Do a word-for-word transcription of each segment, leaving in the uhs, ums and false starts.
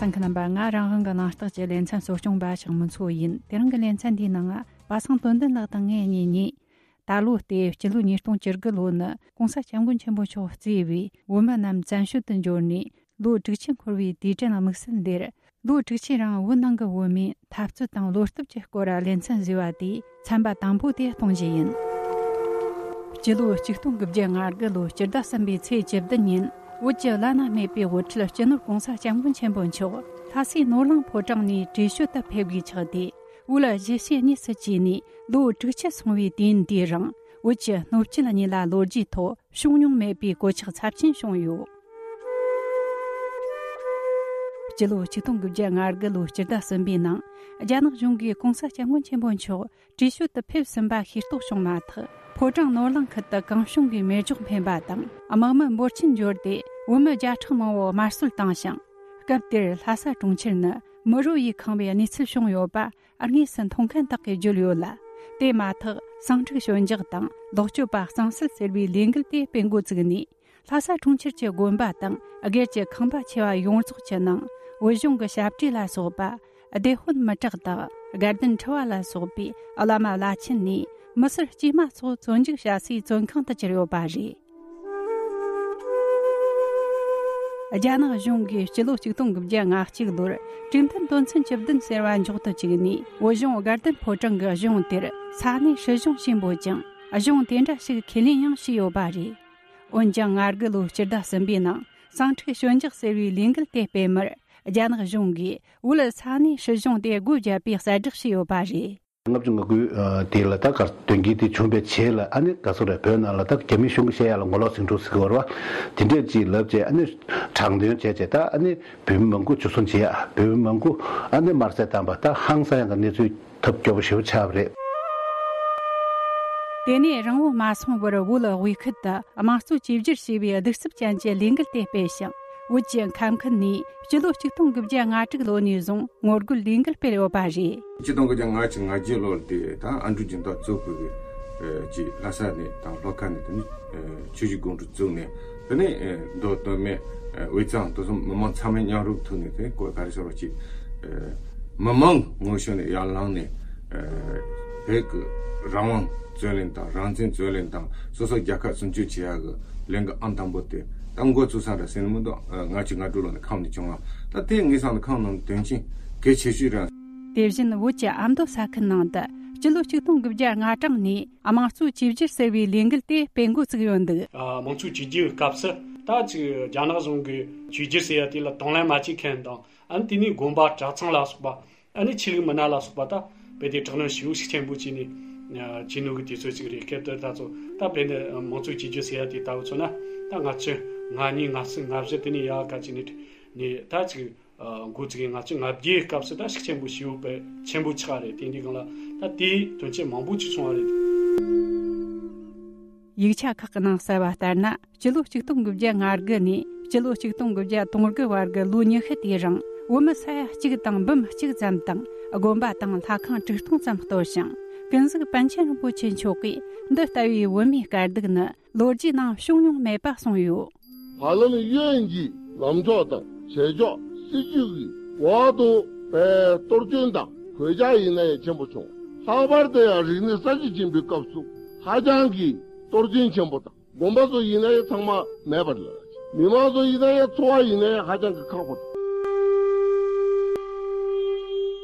གསན་མཁན་རྣམ་པ། ང་རང་དབང་གི་གླེང་སྟེགས་ཀྱི་ལེ་ཚན་གཙོ་སྐྱོང་པ་ཞང་མུ་མཚོ་ཡིན། དེ་རིང་གི་ལེ་ཚན་འདིའི་ནང་པ་སངས་དོན་ལྡན་ལགས་དང་ངས་གཉིས་ནས། ད་ལོ་སྟེ་སྤྱི་ལོ་ཉིས་སྟོང་བཅུ་དགུ་ལོ་ནི་༸གོང་ས་༸སྐྱབས་མགོན་ཆེན་པོ་མཆོག་གཙོས་པའི་བོད་མི་རྣམས་བཙན་བྱོལ་དུ་འབྱོར་ནས་ལོ་དྲུག་ཅུ་འཁོར་བའི་དུས་དྲན་དམིགས་བསལ་འདིར། ལོ་དྲུག་ཅུའི་རིང་བོད་ནང་གི་བོད་མིའི་འཐབ་རྩོད་དང་བློ་སྟོབས་ཀྱི་སྐོར་ལ་ལེ་ཚན་བཟོས་པ་དེའི་ཚན་པ་དང་པོ་དེ་གཏོང་རྒྱུ་ཡིན། སྤྱི་ལོ་ཆིག་སྟོང་དགུ་བརྒྱ་ང་དགུ་ལོའི་སྤྱི་ཟླ་གསུམ་པའི་ཚེས་བཅུ་བདུན་ཉིན། བོད་ཀྱི་བླ་ན་མེད་པའི་དབུ་ཁྲིད་སྤྱི་ནོར་༸གོང་ས་༸སྐྱབས་མགོན་ཆེན་པོ་མཆོག་ལྷ་སའི་ནོར་གླིང་ཕོ་བྲང་ནས་བྲོས་བྱོལ་དུ་ཕེབས་དགོས་ཆགས་ཏེ། བོད་གཞིས་བྱེས་གཉིས་སུ་གྱེས་ནས་ལོ་དྲུག་ཅུ་སོང་བའི་དུས་ཡུན་དེའི་རིང་། བོད་ཀྱི་སྣོད་བཅུད་གཉིས་ལ་ལོ་རྒྱུས་ཐོག་བྱུང་མྱོང་མེད་པའི་གོད་ཆག་ཚབས་ཆེན་བྱུང་ཡོད། སྤྱི་ལོ་ཆིག་སྟོང་དགུ་བརྒྱ་ང་དགུ་ལོའི་སྤྱི་ཟླ་གསུམ་པའི་ནང་། རྒྱ་ནག་གཞུང་གིས་༸གོང་ས་༸སྐྱབས་མགོན་ཆེན་པོ་མཆོག་བྲོས་བྱོལ་དུ་ཕེབས་ཟིན་པ་ཤེས་རྟོགས་བྱུང་མ་ཐག་ཕོ་བྲང་ནོར་གླིང་ཁུལ་དུ་གང་བྱུང་གིས་མེ་སྒྱོགས་འཕེན་པ་དང་། དམག་མི་འབོར་ཆེན་འབྱོར་ཏེ་བོད་མི་བརྒྱ་ཕྲག་མང་པོ་དམར་གསོད་བཏང་ཞིང་། སྐབས་དེར་ལྷ་ས་གྲོང་ཁྱེར་ནི་མི་རོ་ཡིས་ཁེངས་པའི་གནས་ཚུལ་བྱུང་ཡོད་པ། དངོས་སུ་མཐོང་མཁན་དག་གིས་བརྗོད་ཡོད་ལ། དེ་མ་ཐག་ཟིང་འཁྲུག་ཞི་འཇགས་དང་ལོག་སྤྱོད་པ་གཙང་སེལ་ཟེར་བའི་ལས་འགུལ་དེ་སྤེལ་འགོ་བཙུགས་ནས། ལྷ་ས་གྲོང་ཁྱེར་གྱི་དགོན་པ་དང་སྒེར་གྱི་ཁང་པ་ཆེ་བ་ཡོངས་རྫོགས་ཀྱི་ནང་བོད་གཞུང་གི་ཞབས་བྲིས་ལ་སོགས་པ། སྡེ་དཔོན་མི་དྲག་དག་དགའ་ལྡན་ཁྲི་པ་ལ་སོགས་པའི་བླ་མ་བླ་ཆེན་ནས་མི་སེར་དཀྱུས་མ་སོགས་བཙོན་འཇུག་བྱ་སའི་བཙོན་ཁང་དུ་གྱུར་ཡོད་པ་རེད། རྒྱ་ནག་གཞུང་གིས་སྤྱི་ལོ་ཆིག་སྟོང་དགུ་བརྒྱ་ལྔ་གཅིག་ལོར་གྲོས་མཐུན་དོན་ཚན་བཅུ་བདུན་ཟེར་བ་འཇོག་ཏུ་བཅུག་ནས། བོད་གཞུང་དགའ་ལྡན་ཕོ་བྲང་གི་གཞུང་དེར་ས་གནས་སྲིད་གཞུང་ཞེས་འབོད་ཅིང་། གཞུང་དེ་འདྲ་ཞིག་ཁས་ལེན་ཡང་བྱས་ཡོད་པ་རེད། འོན་ཀྱང་། ང་དགུ་ལོའི་སྤྱི་ཟླ་གསུམ་པའི་ནང་ཟིང་འཁྲུག་ཞི་འཇགས་ཟེར་བའི་ལས་འགུལ་དེ་སྤེལ་མུར། རྒྱ་ནག་གཞུང་གིས་བོད་ས་གནས་སྲིད་གཞུང་དེ་སྒོ་བརྒྱབ་པའི་གསལ་བསྒྲགས་བྱས་ཡོད་པ་རེད། ལྔ་བཅུ་ང་དགུ་དེ་ལ་ད་གར་དོན་རྐྱེན་དེ་བྱུང་བའི་རྗེས་ལ། ཨ་ནི་ག་སོ་རེད། བོད་ནང་ལ་ད་རྒྱ་མི་གཞུང་གི་བཤད་ཡ་ལ་ངོ་ལོག་ཟིང་འཁྲུག་ཟེར་གི་ཡོད་རེད་བ། དེ་འདྲས་ཅིག་ལབ་བྱས། ཨ་ནི་དྲག་འདོན་བྱས་བྱས། ད་ཨ་ནི་བོད་མི་མང་པོ་འཇུ་བཟུང་བྱེད་ཡ། བོད་མི་མང་པོ་ཨ་ནི་དམར་གསོད་བཏང་བ། ད་ཧང་སང་ཡ་གི་གནས་ཚུལ་ཐབས་སྐྱོ་པོ་ཞེ་པོ་ཆགས་པ་རེད། དེ་ནས་རིང་པོ་མ་སོང་བར་བོད་དབུས་ཁུལ་དུ་དམངས་གཙོ་བཅོས་བསྒྱུར་ཞེས་པའི་གདུག་རྩུབ་ཅན་གྱི་ལས་འགུལ་དེ་སྤེལ་ཞིང་། བོད་ཀྱི་ཁམས་ཁུལ་ནས་སྤྱི་ལོ་ཆིག་སྟོང་དགུ་བརྒྱ་ང་དྲུག་ལོ་ནས་བཟུང་ངོ་རྒོལ་ལས་འགུལ་སྤེལ་ཡོད་པ་རེད། ཆིག་སྟོང་དགུ་བརྒྱ་ལྔ་བཅུ་ང་བརྒྱད་ལོར་དེ་ད་ཨ་འབྲུག་སྦྱིན་བདག་གཙོས་པའི་ཀྱི་ལྷ་ས་ནས་དང་ལྷོ་ཁ་ནས། དེ་ནས་ཆུ་བཞི་སྒང་དྲུག་བཙུགས་ནས། དེ་ནས་མདོ་སྟོད་སྨད་དབུས་གཙང་དེ་ཚོ་མི་མང་ཚང་མའི་མཉམ་རུབ་ཐོག་ནས། དེ་ཀོ་ག་རེ་ཟེར་བ་ཅིག་མི་མང་ངོ་ཤེས་ནས་ཡར་ལངས་ནས། བོད་ཀྱི་རང་དབང་རྩོད་ལེན་དང་། རང་བཙན་རྩོད་ལེན་དང་། སོ་སོ་རྒྱལ་ཁབ་སྲུང་སྐྱོབ་བྱེད་ཡ་གི་ལས་འགུལ་ཨང་དང་པོ་དེ་ད་འགོ་བཙུགས་ས་རེད་ཟེར་ནས། མི་འདུག་ལྔ་བཅུ་ང་དྲུག་ལོ་ནས་ཁམས་ནས་བྱུང་བ། ད་དེ་ངེད་ཚང་ནི་ཁམས་ནང་དོན་ཆེན་གལ་ཆེ་ཤོས་རེད། དེ་བཞིན་བོད་ཀྱི་ཨ་མདོ་ས་ཁུལ་ནང་དུ་སྤྱི་ལོ་ཆིག་སྟོང་དགུ་བརྒྱ་ལྔ་གྲངས་ནས་དམངས་གཙོ་བཅོས་བསྒྱུར་ཟེར་བའི་ལས་འགུལ་དེ་སྤེལ་འགོ་བཙུགས་ཡོད་འདུག་ཨ། དམངས་གཙོ་བཅོས་བསྒྱུར་སྐབས་སུ་ད་ཅིག་རྒྱ་ནག་གཞུང་གིས་བཅོས་བསྒྱུར་ཟེར་ཡ་དེ་ལ་དང་ལེན་མ་བྱེད་མཁན་དང་། ཨ་ནི་དེ་ནས་དགོན་པ་གྲྭ་ཚང་ལ་སོགས་པ། ཨ་ནི་ཆོས་ལུགས་མི་སྣ་ལ་སོགས་པ། ད་དཔེ་དེ་དྲག་གནོན་ཞེ་པོ་ཤུགས་ཆེན་པོ་བྱས་ནས་བྱས་ནོ་གི་དུས་ཚོད་ཅིག་རེད། སྐབས་དེར་ད་ཚོ་ད་དཔེ་འདི་དམངས་གཙོ་བཅོས་བསྒྱུར་ཟེར་ཡ་དེ་ལྟ་བུ་མཚོན་ན། ད་ལྔ་བཅུ་ང་གཉིས་ང་གསུམ་ང་བཞི་དེ་ནས་ཡར་ག་ཅིག་ནས་ནས་ད་ཅིག་འགོ་བཙུགས་ཡིན། ལྔ་བཅུ་ང་བརྒྱད་སྐབས་སུ་ད་ཤུགས་ཆེན་པོ་ཞེ་པོ་དཔེ་ཆེན་པོ་ཆགས་རེད། དེ་འདི་སྒང་ལ་ད་དེའི་དོན་རྐྱེན་མང་པོ་ཅིག་བྱུང་བ་རེད། ཡིག་ཆ་ཁག་གི་ནང་གསལ་བ་ལྟར་ན། སྤྱི་ལོ་ཆིག་སྟོང་དགུ་བརྒྱ་ང་དགུ་ནས་སྤྱི་ལོ་ཆིག་སྟོང་དགུ་བརྒྱ་དོན་དགུ་བར་གྱི་ལོ་ཉི་ཤུ་དེའི་རིང་། བོད་མི་ས་ཡ་གཅིག་དང་འབུམ་གཅིག་ཙམ་དང་། དགོན་པ་དང་ལྷ་ཁང་དྲུག་སྟོང་ཙམ་གཏོར་ཞིང་། ཀུན་གཟིགས་པཎ་ཆེན་རིན་པོ་ཆེ་མཆོག་གིས་འདི་ལྟ་བུའི་བོད་མིའི་དཀའ་སྡུག་ནི་ལོ་རྒྱུས་ནང་བྱུང་མྱོང་མེད་པ་གསུངས་ཡོད། ཧ་ལམ་གཡོན་གྱི་ལམ་ཕྱོགས་དང་བྱེད་ཕྱོགས་སྲིད་ཇུས་ཀྱི་འོག་ཏུ་པའི་གཏོར་སྐྱོན་དང་གོད་ཆག་ཡིན་ན་ཡང་ཆེན་པོ་བྱུང་། ལྷག་པར་དུ་ཡང་རིག་གནས་གསར་བརྗེ་ཆེན་པོའི་སྐབས་སུ་ཧ་ཅང་གི་གཏོར་སྐྱོན་ཆེན་པོ་དང་། དགོན་པ་ཚོ་ཡིན་ན་ཡང་ཚང་མ་མེད་པར་ལ། མི་མང་ཚོ་ཡིན་ན་ཡང་འཚོ་བ་ཡིན་ན་ཡང་ཧ་ཅང་གི་ཁག་པོ་དང་།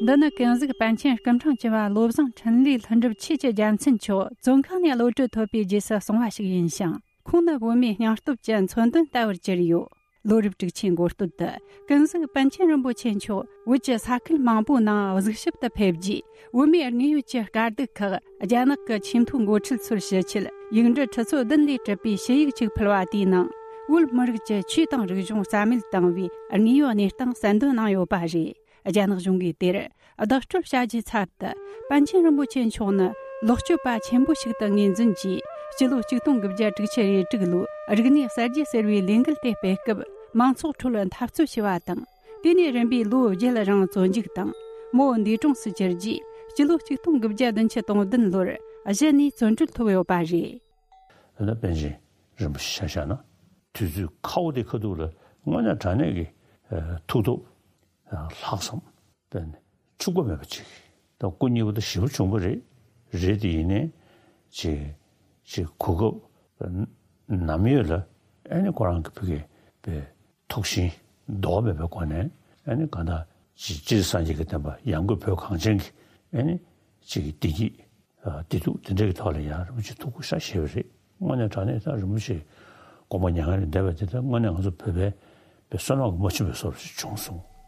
འདི་ནི་ཀུན་གཟིགས་པཎ་ཆེན་སྐུ་ཕྲེང་བཅུ་བ་བློ་བཟང་འཕྲིན་ལས་ལྷུན་གྲུབ་ཆོས་ཀྱི་རྒྱལ་མཚན་མཆོག་བཙོན་ཁང་ནས་གློད་གྲོལ་ཐོབ་པའི་རྗེས་སུ་གསུངས་པ་ཞིག་ཡིན་ཞིང་། ཁོང་ནི་བོད་མིའི་སྙིང་སྟོབས་ཀྱི་མཚོན་དོན་ལྟ་བུར་གྱུར་ཡོད། ལོ་རབས་དྲུག་ཅུའི་འགོ་སྟོད་དུ། ཀུན་གཟིགས་པཎ་ཆེན་རིན་པོ་ཆེ་མཆོག་བོད་ཀྱི་ས་ཁུལ་མང་པོའི་ནང་གཟིགས་ཞིབ་ཏུ་ཕེབས་རྗེས། བོད་མིའི་དངོས་ཡོད་ཀྱི་དཀའ་སྡུག་ཁག་རྒྱ་ནག་གི་ཆེས་མཐོའི་འགོ་ཁྲིད་ཚོར་ཞུ་ཆེད། ཡིག་འབྲུ་ཁྲི་ཚོ་བདུན་ལས་གྲུབ་པའི་ཞུ་ཡིག་ཅིག་ཕུལ་བ་དེའི་ནང་། བོད་མི་རིགས་ཀྱི་ཆོས་དང་རིག་གཞུང་རྩ་མེད་བཏང་བའི་དངོས་ཡོད་གནས་སྟངས་གསལ་འདོན་གནང་ཡོད་པ་རེད། རྒྱ་ནག་གཞུང་གིས་དེར་བདག་སྤྲོད་བྱ་རྒྱུའི་ཚབ་ཏུ། པཎ་ཆེན་རིན་པོ་ཆེ་མཆོག་ནི་ལོག་སྤྱོད་པ་ཆེན་པོ་ཞིག་ཏུ་ངོས་འཛིན་གྱིས། སྤྱི་ལོ་ཆིག་སྟོང་དགུ་བརྒྱ་དྲུག་ཅུ་རེ་དྲུག་ལོའི་རིག་གནས་གསར་བརྗེ་ཟེར་བའི་ལས་འགུལ་དེ་སྤེལ་སྐབས། མང་ཚོགས་ཁྲོད་འཐབ་རྩོད་བྱས་པ་དང་། དེ་ནས་རིམ་པས་ལོ་བརྒྱད་རིང་བཙོན་འཇུག་དང་། མོ་འདས་གྲོངས་སུ་གྱུར་རྗེས། སྤྱི་ལོ་ཆིག་སྟོང་དགུ་བརྒྱ་བདུན་ཅུ་དོན་བདུན་ལོར་གཞི་ནས་བཙོན་གྲོལ་ཐོབ་ཡོད་པ་རེད། ཨ་ནི་པཎ་ཆེན་རིན་པོ་ཆེ་ཆ་བཞག་ན། དུས་ཚོད་ཁ་བོ་དེ་ཁ་ཐུག་ལ་དངོས་གནས་དྲང་གནས་ཀྱི་ཐུགས་སྟོབས། ལྷག་བསམ་དཔེ་འཕྱུག་པ་མེད་པ་ཅིག་ད་སྐུ་མཉེལ་པོ་ད་ཞེ་པོ་བྱུང་པ་རེད། རེད་དེ་ཡིན་ནའི་ཅིག་ཅིག་གོ་སྐབས་ནམ་ཡོད་ལ་ཨ་ནི་ཁོ་རང་གི་ཕ་གི་པའི་ཐུགས་ཞེན་ལྡོག་མེད་པའི་སྒོ་ནས་ཨ་ནི་གང་ལྟར་ཅིག་སྤྱིར་སངས་རྒྱས་ཀྱི་བསྟན་པ་ཡང་སྒོས་བོད་གངས་ཅན་གྱི་ཨ་ནི་ཅིག་བདེ་སྐྱིད་བདེ་སྡུག་དེ་འདྲའི་ཐོག་ལ་ཡང་རིན་པོ་ཆེ་ཐུགས་ཁུར་བཞེས་པ་རེད། དངོས་གནས་དྲང་གནས་ད་རིན་པོ་ཆེ་དགོངས་པ་མྱ་ངན་ལས་འདས་པ་དེ་ད་དངོས་གནས་ང་ཚོ་བོད་པའི་པའི་བསོད་ནམས་ཀྱི་རྨ་ཆུ་བའི་བཟོ་འདྲ་ཞིག་བྱུང་སོང་།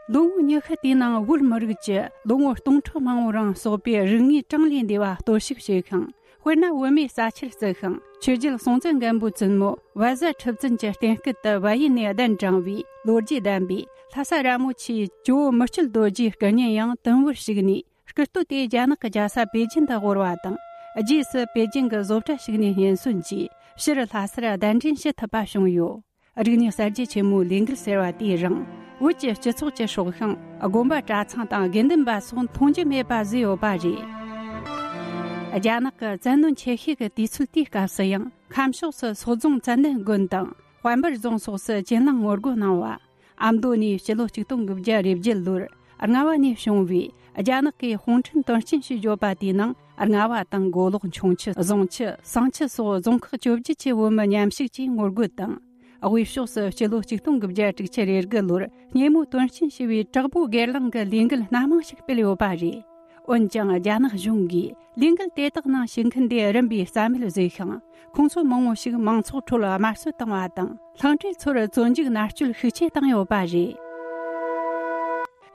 ལོ་ངོ་ཉི་ཤུ་དེའི་ནང་བོད་མི་རིགས་ཀྱི་ལོ་ངོ་སྟོང་ཕྲག་མང་པོ་རིང་གསོག་པའི་རིག་དངོས་གྲངས་ལས་འདས་པ་གཏོར་བཤིག་བྱས་ཤིང་། དཔེར་ན་བོད་མིའི་ས་ཆར་བརྩིགས་ཤིང་ཆོས་རྒྱལ་སྲོང་བཙན་སྒམ་པོའི་བཙུན་མོ་བལ་བཟའ་ཁྲི་བཙུན་གྱི་རྟེན་སྐུ་དུ་བལ་ཡུལ་ནས་གདན་དྲངས་པའི་ལོ་རྒྱུས་ལྡན་པའི་ལྷ་ས་ར་མོ་ཆེའི་ཇོ་བོ་མི་བསྐྱོད་རྡོ་རྗེའི་སྐུ་བརྙན་ཡང་དུམ་བུར་ཞིག་ནས་སྐུ་སྟོད་དེ་རྒྱ་ནག་གི་རྒྱལ་ས་པེ་ཅིན་དུ་དབོར་བ་དང་། རྗེས་སུ་པེ་ཅིན་གྱི་བཟོ་གྲྭ་ཞིག་ནས་སྙན་སོན་གྱིས་ཕྱིར་ལྷ་སར་གདན་འདྲེན་ཞུ་ཐུབ་པ་བྱུང་ཡོད། རིག་གནས་གསར་བརྗེ་ཆེན་མོའི་ལས་འགུལ་ཟེར་བ་དེའི་རིང་བོད་ཀྱི་སྤྱི་ཚོགས་ཀྱི་སྲོག་ཤིང་དགོན་པ་གྲྭ་ཚང་དང་དགེ་འདུན་པ་སོགས་མཐོང་རྒྱུ་མེད་པ་བཟོས་ཡོད་པ་རེད། རྒྱ་ནག་གི་བཙན་གནོན་ཆེ་ཤོས་ཀྱི་དུས་ཚོད་དེའི་སྐབས་སུ་ཡང་ཁམས་ཕྱོགས་སུ་སོག་རྫོང་ཙན་དན་དགོན་དང་དཔལ་འབར་རྫོང་སོགས་སུ་གྱེན་ལངས་ངོ་རྒོལ་གནང་བ། ཨ་མདོ་ནས་སྤྱི་ལོ་ཆིག་སྟོང་དགུ་བརྒྱ་རེ་བརྒྱད་ལོར་རྔ་བ་ནས་བྱུང་བའི་རྒྱ་ནག་གི་གུང་ཁྲན་དོན་རྐྱེན་ཞེས་བརྗོད་པ་དེའི་ནང་རྔ་བ་དང་མགོ་ལོག་འཁྱོངས་ཆུ་བཟང་ཆུ་བསང་ཆུ་སོགས་རྫོང་ཁག་བཅོ་བརྒྱད་ཀྱི་བོད་མི་མཉམ་ཞུགས་ཀྱིས་ངོ་རྒོལ་དང་། དབུས་ཕྱོགས་སུ་སྤྱི་ལོ་ཆིག་སྟོང་དགུ་བརྒྱ་དྲུག་ཅུ་རེ་དགུ་ལོར་སྙེ་མོ་དོན་རྐྱེན་ཞེས་པའི་དྲག་པོའི་སྒེར་ལངས་ཀྱི་ལས་འགུལ་སྣ་མང་ཞིག་སྤེལ་ཡོད་པ་རེད། འོན་ཀྱང་རྒྱ་ནག་གཞུང་གིས་ལས་འགུལ་དེ་དག་ནང་ཞུགས་མཁན་དེ་རིམ་པས་རྩ་མེད་བཟོས་ཤིང་། ཁོང་ཚོ་མང་བོ་ཞིག་མང་ཚོགས་ཁྲོད་དམར་གསོད་བཏང་བ་དང་། ལྷིང་འབྲེལ་ཚོར་བཙོན་འཇུག་མནར་གཅོད་ཤུགས་ཆེ་བཏང་ཡོད་པ་རེད།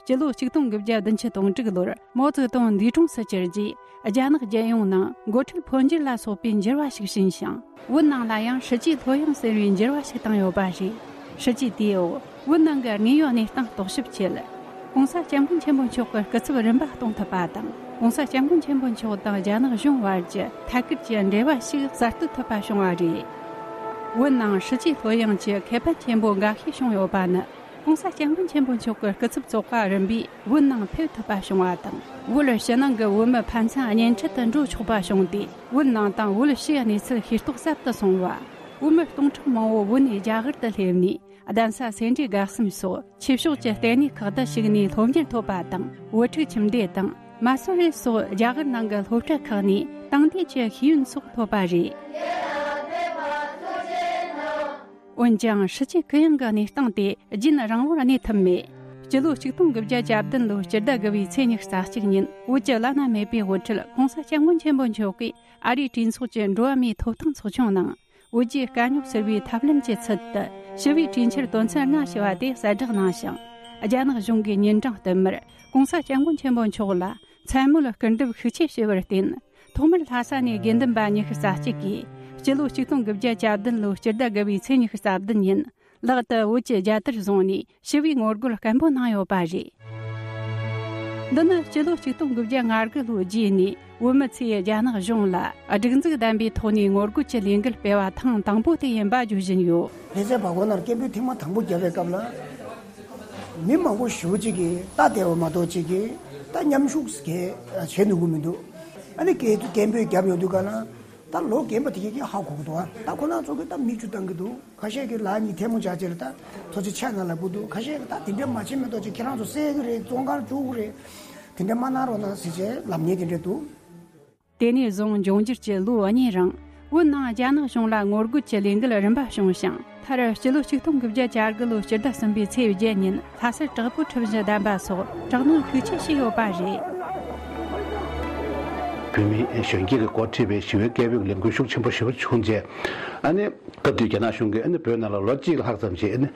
སྤྱི་ལོ་ཆིག་སྟོང་དགུ་བརྒྱ་བདུན་ཅུ་དོན་དྲུག་ལོར་མའོ་ཙེ་ཏུང་འདས་གྲོངས་སུ་གྱུར་རྗེས། རྒྱ་ནག་རྒྱལ་ཡོངས་ནང་འགོ་ཁྲིད་འཕོ་འགྱུར་ལ་སོགས་པའི་འགྱུར་བ་ཞིག་ཕྱིན་ཞིང་། བོད་ནང་ལ་ཡང་ཧྲི་ཅི་ལྷོད་ཡངས་ཟེར་བའི་འགྱུར་བ་ཞིག་བཏང་ཡོད་པ་རེད། ཧྲི་ཅི་དེའི་འོག་བོད་ནང་གི་དངོས་ཡོད་གནས་སྟངས་རྟོག་ཞིབ་ཆེད། ྋགོང་ས་ྋསྐྱབས་མགོན་ཆེན་པོ་མཆོག་གི་སྐུ་ཚབ་རིམ་པ་གཏོང་ཐུབ་པ་དང་། ྋགོང་ས་ྋསྐྱབས་མགོན་ཆེན་པོ་མཆོག་དང་རྒྱ་ནག་གཞུང་བར་གྱི་ཐད་ཀར་གྱི་འབྲེལ་བ་ཞིག་གསར་གཏོད་ཐུབ་པ་བྱུང་བ་རེད། བོད་ནང་ཧྲི་ཅི་ལྷོད་ཡངས་ཀྱི་ཁེ་ཕན་ཆེན་པོ་འགའ་ཤས་བྱུང་ཡོད་པ་ནི། ྋགོང་ས་ྋསྐྱབས་མགོན་ཆེན་པོ་མཆོག་གི་སྐུ་ཚབ་ཚོགས་པ་རིམ་པས་བོད་ནང་ཕེབས་ཐུབ་པ་བྱུང་བ་དང་། བོད་ཕྱི་ནང་གི་བོད་མི་ཕན་ཚུན་གཉེན་འཕྲད་དུ་འགྲོ་ཆོག་པ་བྱུང་སྟེ། བོད་ནང་དང་བོད་ཕྱིའི་གནས་ཚུལ་ཤེས་རྟོགས་ཟབ་ཏུ་སོང་བ། བོད་མི་སྟོང་ཕྲག་མང་བོ་བོད་ནས་རྒྱ་གར་དུ་སླེབས་ནས། གདན་ས་སེ་འབྲས་དགའ་གསུམ་སོགས་ཆོས་ཕྱོགས་ཀྱི་ལྟེ་གནས་ཁག་ཏུ་ཞུགས་ནས་སློབ་གཉེར་ཐོབ་པ་དང་། བོད་ཕྲུག་ཁྱིམ་སྡེ་དང་མ་སུ་རི་སོགས་རྒྱ་གར་ནང་གི་སློབ་གྲྭ་ཁག་ནས་དེང་དུས་ཀྱི་ཤེས་ཡོན་སོགས་ཐོབ་པ་རེད། འོན་ཀྱང་ཧྲི་ཅི་གུ་ཡངས་ཀྱི་གནས་སྟངས་དེ་རྒྱུན་རིང་བོར་གནས་ཐུབ་མེད། སྤྱི་ལོ་ཆིག་སྟོང་དགུ་བརྒྱ་གྱ་བདུན་ལོའི་སྤྱི་ཟླ་དགུ་པའི་ཚེས་ཉི་ཤུ་རྩ་གཅིག་ཉིན་བོད་ཀྱི་བླ་ན་མེད་པའི་དབུ་ཁྲིད་ྋགོང་ས་ྋསྐྱབས་མགོན་ཆེན་པོ་མཆོག་གིས་ཨ་རིའི་གྲོས་ཚོགས་ཀྱི་འགྲོ་བ་མིའི་ཐོབ་ཐང་ཚོགས་ཆུང་ནང་། བོད་ཀྱི་དཀའ་རྙོག་སེལ་བའི་ཐབས་ལམ་གྱི་ཚུལ་དུ་ཞི་བའི་གྲོས་འཆར་དོན་ཚན་ལྔ་ཞེས་པ་དེ་གསལ་བསྒྲགས་གནང་ཞིང་། རྒྱ་ནག་གཞུང་གིས་ཉིན་གྲངས་བསྟུད་མར་ྋགོང་ས་ྋསྐྱབས་མགོན་ཆེན་པོ་མཆོག་ལ་མཚན་སྨོད་སྐུར་འདེབས་ཤུགས་ཆེ་བྱས་པར་བརྟེན། ཐོག་མར་ལྷ་ས་ནས་དགེ་འདུན་པ་ཉི་ཤུ་རྩ་གཅིག་གིས་སྤྱི་ལོ་ཆིག་སྟོང་དགུ་བརྒྱ་གྱ་བདུན་ལོའི་སྤྱི་ཟླ་དགུ་པའི་ཚེས་ཉི་ཤུ་རྩ་བདུན་ཉིན་ལག་ཏུ་བོད་ཀྱི་རྒྱལ་དར་བཟུང་ནས། ཞི་བའི་ངོ་རྒོལ་སྐད་འབོད་གནང་ཡོད་པ་རེད། འདི་ནི་སྤྱི་ལོ་ཆིག་སྟོང་དགུ་བརྒྱ་ང་དགུ་ལོའི་རྗེས་ནས་བོད་མི་ཚོས་རྒྱ་ནག་གཞུང་ལ་སྒྲིག་འཛུགས་ལྡན་པའི་ཐོག་ནས་ངོ་རྒོལ་གྱི་ལས་འགུལ་སྤེལ་བ་ཐེངས་དང་པོ་དེ་ཡིན་པ་བརྗོད་བཞིན་ཡོད། ལྷ་སའི་བར་སྐོར་ནང་སྐད་འབོད་ཐེངས་མ་དང་པོ་བརྒྱབ་པའི་སྐབས་ལ། མི་མང་པོ་ཞེ་པོ་ཅིག་གིས་ལྟ་བསྡད་པ་མ་གཏོགས་ཅིག་གིས་ད་མཉམ་ཞུགས་གས་བྱེད་ནུས་ཀྱི་མི་འདུག་ཨ་ནི་སྐད་སྐད་འབོད་བརྒྱབ་ཡོང་དུས་ག་ལ། ད་ལོ་རྒན་པ་དེ་གས་ཀྱིས་ཧ་གོ་གི་འདུག་ཨ་ད་ཁོ་རང་ཚོ་གིས་ད་མིག་ཆུ་བཏང་གི་འདུག་ཁ་ཤས་ཀྱིས་ལག་གཉིས་ཐལ་མོ་སྦྱར་བྱས་ལ་ད་ཐུགས་རྗེ་ཆེ་ན་ལབ་ཀྱི་འདུག་ཁ་ཤས་ཀྱིས་ད་དེ་འདྲ་མ་བྱེད་མི་འདུག་ཅིག་ཁྱེད་རང་ཚོ་བསད་ཀྱི་རེད། བཙོན་ཁང་འཇུག་གི་རེད། དེ་འདྲ་མ་གནང་རོགས་གནང་ཟེར་བྱས་ལབ་མཁན་དེ་འདྲ་འདུག་དེ་ནས་བཟུང་འབྱུང་འགྱུར་གྱི་ལོ་གཉིས་རིང་བོད་ནང་རྒྱ་ནག་གཞུང་ལ་ངོ་རྒོལ་གྱི་ལས་འགུལ་རིམ་པ་བྱུང་ཞིང་། མཐར་སྤྱི་ལོ་ཆིག་སྟོང་དགུ་བརྒྱ་གྱ་དགུ་ལོའི་སྤྱི་ཟླ་གསུམ་པའི་ཚེས་བརྒྱད་ཉིན་ལྷ་སར་དྲག་པོའི་ཁྲིམས་གཞི་བསྡམས་པ་སོགས་དྲག་གནོན་ཤུགས་ཆེ་བྱས་ཡོད་པ་རེད། བོད་མི་གཞོན་སྐྱེས་ཀྱིས་འགོ་ཁྲིད་པའི་ཞི་བའི་སྐད་འབོད་ལས་འགུལ་ཤུགས་ཆེན་པོ་ཞེ་པོ་བྱུང་རྗེས། ཨ་ནི་སྐབས་དེའི་རྒྱ་ནག་གཞུང་གིས་ཨ་ནི་བོད་ནང་ལ་ལོ་གཅིག་ལྷག་ཙམ་ཞིག་ཨ་ནི་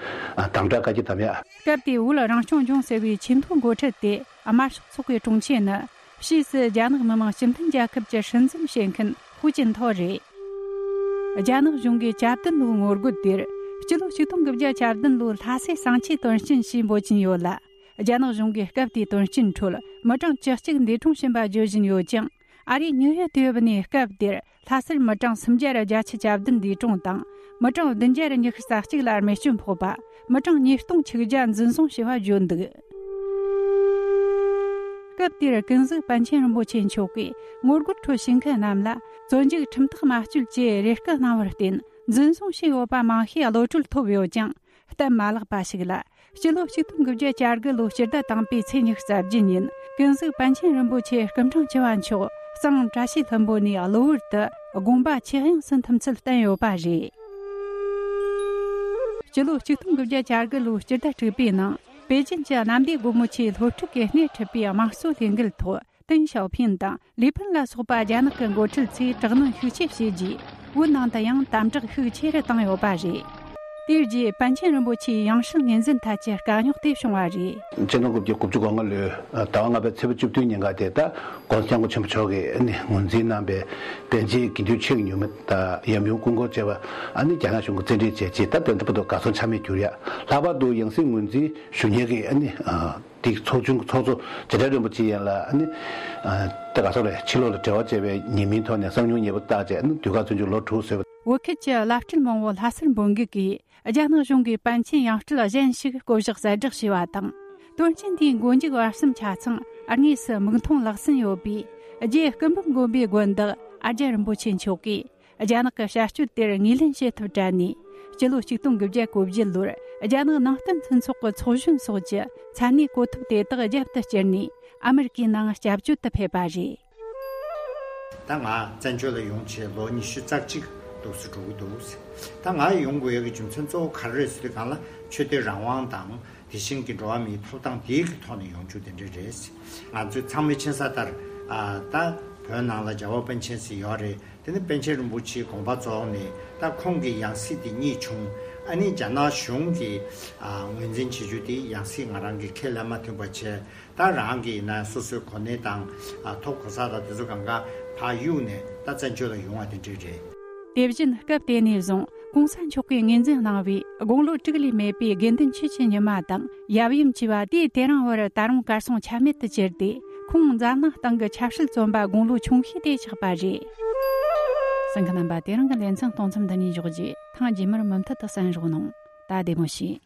དམ་དྲག་བཀའ་རྒྱ་བསྡམས་ཡ། སྐབས་དེའི་བོད་རང་སྐྱོང་ལྗོངས་ཟེར་བའི་ཆེས་མཐོའི་འགོ་ཁྲིད་དེ་དམར་ཤོག་ཚོགས་པའི་དྲུང་ཆེ་ནི། ཕྱིས་སུ་རྒྱ་ནག་མི་དམངས་སྤྱི་མཐུན་རྒྱལ་ཁབ་ཀྱི་སྲིད་འཛིན་བྱེད་མཁན་ཧུའུ་ཅིན་ཐའོ་རེད། རྒྱ་ནག་གཞུང་གིས་གྱ་བདུན་ལོའི་ངོ་རྒོལ་དེར་སྤྱི་ལོ་ཆིག་སྟོང་དགུ་བརྒྱ་གྱ་བདུན་ལོའི་ལྷ་སའི་གསང་ཆེན་དོན་རྐྱེན་ཞེས་འབོད་ཀྱིན་ཡོད་ལ། རྒྱ་ནག་གཞུང་གིས་སྐབས་དེའི་དོན་རྐྱེན་ཁྲོད་མི་གྲངས་བཅུ་གཅིག་འདས་གྲོངས་ཕྱིན་པ་བརྗོད་བཞིན་ཡོད་ཀྱང་། ཨ་རིའི་ཉིའུ་ཡོག་དུས་བབ་ནས་སྐབས་དེར་ལྷ་སར་མི་གྲངས་སུམ་བརྒྱ་བརྒྱད་ཅུ་གྱ་བདུན་འདས་གྲོངས་དང་། མི་གྲངས་བདུན་བརྒྱ་ཉི་ཤུ་རྩ་གཅིག་ལ་རྨས་སྐྱོན་ཕོག་པ། མི་གྲངས་ཉིས་སྟོང་ཆིག་བརྒྱ་འཛིན་བཟུང་བྱས་པ་བརྗོད་འདུག་སྐབས་དེར་ཀུན་གཟིགས་པཎ་ཆེན་རིན་པོ་ཆེ་མཆོག་གིས་ངོ་རྒོལ་ཁྲོད་ཞུགས་མཁན་རྣམས་ལ་བཙོན་འཇུག་ཁྲིམས་ཐག་མ་གཅོད་ཅེས་རེ་སྐུལ་གནང་བར་བརྟེན། འཛིན་བཟུང་བྱས་ཡོད་པ་མང་ཤོས་གློད་གྲོལ་ཐོབ་ཡོད་ཀྱང་། གཏན་མ་བརླག་པ་ཞིག་ལ། སྤྱི་ལོ་ཆིག་སྟོང་དགུ་བརྒྱ་གྱ་དགུ་ལོའི་སྤྱི་ཟླ་དང་པོའི་ཚེས་ཉི་ཤུ་རྩ་བརྒྱད་ཉིན་ཀུན་གཟིགས་པཎ་ཆེན་རིན་པོ་ཆེ་སྐུ་ཕྲེང་བཅུ་བ་མཆོག་གཙང་བཀྲ་ཤིས་ལྷུན་པོ་ནས་གློ་བུར་དུ་དགོངས་པ་ཆོས་དབྱིངས་སུ་འཐིམ་ཚུལ་བསྟན་ཡོད་པ་རེད། སྤྱི་ལོ་ཆིག་སྟོང་དགུ་བརྒྱ་གྱ་དགུ་ལོའི་སྤྱི་ཟླ་དྲུག་པའི་ནང་པེ་ཅིན་གྱི་གནམ་བདེ་སྒོ་མོ་ཆེའི་སློབ་ཕྲུག་གིས་སྣེ་ཁྲིད་པའི་དམངས་གཙོ་ལས་འགུལ་ཐོག་ཏེང་ཞའོ་ཕིང་དང་ལི་ཕིན་ལ་སོགས་པ་རྒྱ་ནག་གི་འགོ་ཁྲིད་ཚོས་དྲག་གནོན་ཤུགས་ཆེ་བྱས་རྗེས། བོད་ནང་དུ་ཡང་དམ་དྲག་ཤུགས་ཆེ་རུ་བཏང་ཡོད་པ་རེད། དེའི་རྗེས་པཎ་ཆེན་རིན་པོ་ཆེའི་ཡང་སྲིད་ངོས་འཛིན་ཐད་ཀྱི་དཀའ་རྙོག་དེ་བྱུང་བ་རེད། ཆིག་སྟོང་དགུ་བརྒྱ་དགུ་བཅུ་གོ་ལྔ་ལོའི་ཟླ་བ་ལྔ་པའི་ཚེས་པ་བཅུ་བདུན་ཉིན་ཀ་དེ་ད་༸གོང་ས་༸སྐྱབས་མགོན་ཆེན་པོ་མཆོག་གིས་ནི་ངོས་འཛིན་གནང་པའི་པཎ་ཆེན་དགེ་འདུན་ཆོས་ཀྱི་ཉི་མ་དང་ཡབ་ཡུམ་སྐུ་འཁོར་བཅས་པ་ཨ་ནི་རྒྱ་ནག་གཞུང་གིས་བཙན་ཁྲིད་བྱས་རྗེས། ད་དེ་འདྲ་བར་དུ་གར་སོང་ཆ་མེད་གྱུར་ཡ། ལྷག་པར་དུ་ཡང་སྲིད་ངོས་འཛིན་ཞུ་མཁན་གྱི་ཨ་ནི་དེ་ཚོགས་ཆུང་ཚོགས་གཙོ་རྗེ་བཙུན་རིན་པོ་ཆེ་ཡན་ལགས་ཨ་ནི་ད་ག་སོགས་རེད། ཕྱི་ལོགས་ལ་འབྲེལ་བ་བྱས་པའི་ཉེས་མིང་ཐོག་ནས་གསང་མྱུལ་ཉེས་པ་བཏགས་རྗེས་ཨ་ནི་དུས་བཀག་བཙོན་འཇུག་ལོ་དྲུག་བཟོས་པ། བོད་ཁུལ་གྱི་བླ་སྤྲུལ་མང་བོ་ལྷ་སར་འབོད་འགུག་གིས་རྒྱ་ནག་གཞུང་གིས་པཎ་ཆེན་ཡང་སྤྲུལ་གཞན་ཞིག་བསྐོ་གཞག་གསལ་བསྒྲགས་བྱས་པ་དང་། དོན་རྐྱེན་དེའི་མགོ་མཇུག་བར་གསུམ་ཆ་ཚང་དངོས་སུ་མིག་མཐོང་ལག་ཟིན་ཡོད་པས། རྗེ་སྐུ་འབུམ་དགོན་པའི་དགོན་བདག་ཨ་ཙརྱ་རིན་པོ་ཆེ་མཆོག་གིས་རྒྱ་ནག་གི་བྱ་སྤྱོད་དེར་ངོས་ལེན་བྱེད་ཐབས་བྲལ་ནས། སྤྱི་ལོ་ཆིག་སྟོང་དགུ་བརྒྱ་གོ་བརྒྱད་ལོར་རྒྱ་ནག་ནང་བསྟན་མཐུན་ཚོགས་ཀྱི་ཚོགས་གཞོན་སོགས་ཀྱི་མཚན་གནས་གོ་ཐོབ་དེ་དག་རྒྱབ་ཏུ་བསྐྱུར་ནས་ཨ་མི་རི་ཀའི་ནང་སྐྱབས་བཅོལ་དུ་ཕེབས་པ་རེད། ད་ང་བཙན་བྱོལ་ལ་ཡོང་བྱས་ལོ་ཉི་ཤུ་རྩ་གཅིག་འདུག་སེ་འགྲོ་གི་འདུག་ཟེར། ད་ང་ཡོང་དགོས་ཡག་གི་རྒྱུ་མཚན་གཙོ་བོ་ག་རེ་རེད་ཟེར་དུས་སྒང་ལ་ཆོས་དད་རང་དབང་དང་། དེ་བཞིན་གྱི་འགྲོ་བ་མིའི་ཐོབ་ཐང་དེའི་གི་ཐོག་ནས་ཡོང་རྒྱུ་དེ་འདྲ་རེད། ང་ཚོས་ཚང་མས་མཁྱེན་གསལ་ལྟར། ཨ། ད་བོད་ནང་ལ་རྒྱལ་བ་པཎ་ཆེན་ཟེར་ཡོད་རེད། དེ་ནི་པཎ་ཆེན་རིན་པོ་ཆེའི་དགོངས་པ་རྫོགས་ནས་ད་ཁོང་གི་ཡང་སྲིད་དེ་རྙེད་བྱུང་། ཨ་ནི་རྒྱ་ནག་གཞུང་གིས། ཨ། ངོས་འཛིན་བྱེད་རྒྱུ་དེ་ཡང་སྲིད་ང་རང་གི་ཁས་ལེན་མ་ཐུབ་པ་བྱས། ད་རང་གི་ཡིན་ན་སོ་སོའི་གོ་གནས་དང་། ཨ། ཐོབ་གོ་ས་དང་དེ་ཚོ་གང་ག་ཕར་གཡུགས་ནས་ད་བཙན་བྱོལ་ལ་ཡོང་བ་དེ་འདྲ་རེད། དེ་བཞིན་སྐབས་དེ་ནས་བཟུང་གོང་ས་མཆོག་གིས་ངོས་འཛིན་གནང་བའི་དགུང་ལོ་དྲུག་ལས་མེད་པའི་དགེ་འདུན་ཆོས་ཀྱི་ཉི་མ་དང་ཡབ་ཡུམ་བཅས་པ་དུས་དེ་རིང་བར་ད་རུང་གར་སོང་ཆ་མེད་དུ་གྱུར་ཏེ། ཁོང་འཛམ་གླིང་སྟེང་གི་ཆབ་སྲིད་བཙོན་པ་དགུང་ལོ་ཆུང་ཤོས་དེ་ཆགས་པ་རེད། གསན་མཁན་རྣམ་པ། དེ་རིང་གི་ལེ་ཚན་གཏོང་མཚམས་འདི་ནས་འཇོག་རྒྱུ། ཐེངས་རྗེས་མར་མུ་མཐུད་དུ་གསན་རོགས་གནང་། ད་བདེ་མོ་བྱོས།